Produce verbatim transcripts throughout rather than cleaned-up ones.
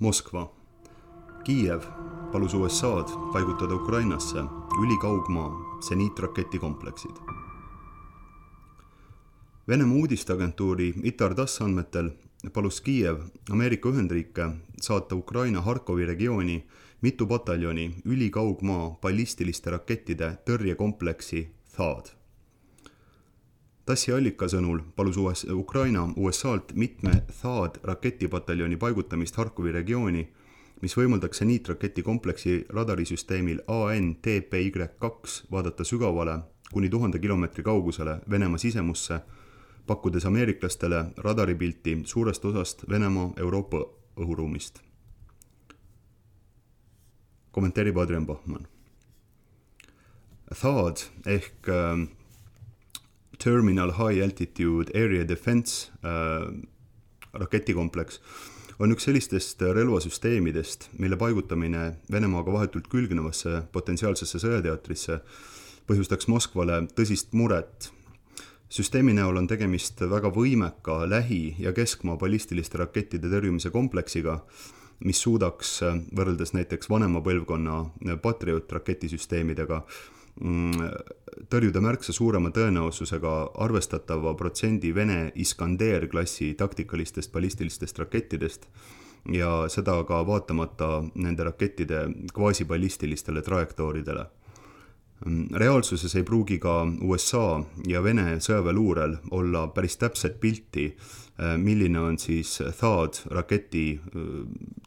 Moskva. Kiiev palus U S A-d paigutada Ukrainasse ülikaugmaa seniitraketikompleksid. Venemaa uudisteagentuuri ITAR-TASS andmetel palus Kiiev Ameerika Ühendriike saata Ukraina Harkovi regiooni mitu pataljoni ülikaugmaa ballistiliste rakettide tõrjekompleksi THAAD. TASSi allika sõnul palus U S Ukraina U S A-lt mitme THAAD raketipataljoni paigutamist Harkovi regiooni, mis võimaldaks seniitraketikompleksi radarisüsteemil A N T P Y kaks vaadata sügavale kuni tuhande kilomeetri kaugusele Venemaa sisemusse, pakkudes ameeriklastele radaripilti suurest osast Venemaa Euroopa õhuruumist. Kommenteerib Adrian Bachmann. THAAD ehk äh, Terminal High Altitude Area Defense äh, raketikompleks on üks sellistest relvasüsteemidest, mille paigutamine Venemaaga vahetult külgnevasse potentsiaalsesse sõjateatrisse põhjustaks Moskvale tõsist muret. Süsteemi näol on tegemist väga võimeka lähi- ja keskmaa ballistiliste rakettide tõrjumise kompleksiga, mis suudaks võrreldes näiteks vanema põlvkonna Patriot raketisüsteemidega tõrjuda märksa suurema tõenäosusega arvestatava protsendi Vene Iskander-klassi taktikalistest ballistilistest rakettidest ja seda ka vaatamata nende rakettide kvaasiballistilistele trajektooridele. Reaalsuses ei pruugi ka U S A ja Vene sõjaväeluurel olla päris täpset pilti, milline on siis THAAD raketi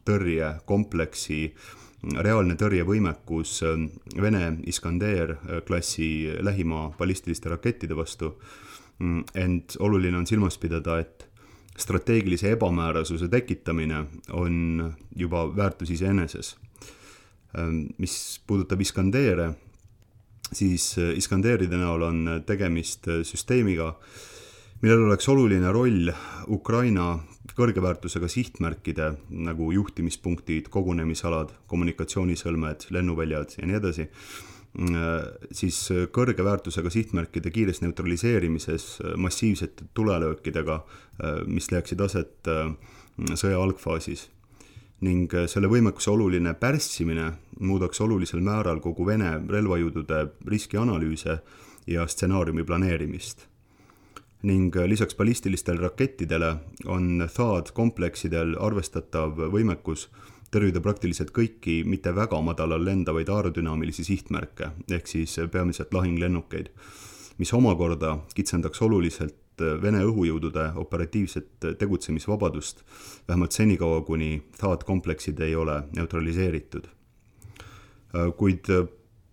tõrjekompleksi reaalne tõrjevõimekus Vene Iskander-klassi lähimaa ballistiliste rakettide vastu, ent oluline on silmas pidada, et strateegilise ebamäärasuse tekitamine on juba väärtus iseeneses. Mis puudutab Iskandere, siis Iskanderide näol on tegemist süsteemiga, millel oleks oluline roll Ukraina kõrgeväärtusega sihtmärkide nagu juhtimispunktid, kogunemisalad, kommunikatsioonisõlmed, lennuväljad ja nii edasi, siis kõrgeväärtusega sihtmärkide kiires neutraliseerimises massiivsete tulelöökidega, mis leiaksid aset sõja algfaasis. Ning selle võimekuse oluline pärssimine muudaks olulisel määral kogu Vene relvajõudude riskianalüüse ja stsenaariumi planeerimist. Ning lisaks ballistilistele rakettidele on THAAD kompleksidel arvestatav võimekus tõrjuda praktiliselt kõiki mitte väga madalal lendavaid aerodünaamilisi sihtmärke, ehk siis peamiselt lahinglennukeid, mis omakorda kitsendaks oluliselt Vene õhujõudude operatiivset tegutsemisvabadust, vähemalt senikaua, kuni THAAD kompleksid ei ole neutraliseeritud. Kuid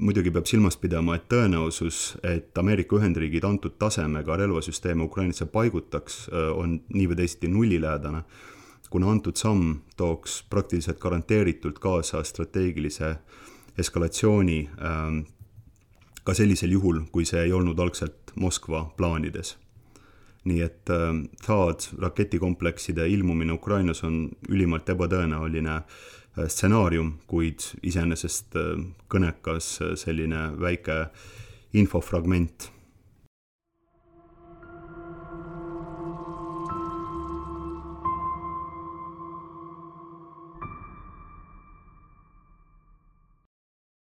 muidugi peab silmas pidama, et tõenäosus, et Ameerika Ühendriigid antud tasemega relvasüsteeme Ukrainasse paigutaks, on nii või teisiti nullilähedane, kuna antud samm tooks praktiliselt garanteeritult kaasa strateegilise eskalatsiooni ka sellisel juhul, kui see ei olnud algselt Moskva plaanides. Nii et THAAD raketikomplekside ilmumine Ukrainas on ülimalt ebatõenäoline stsenaarium, kuid iseenesest kõnekas selline väike infofragment.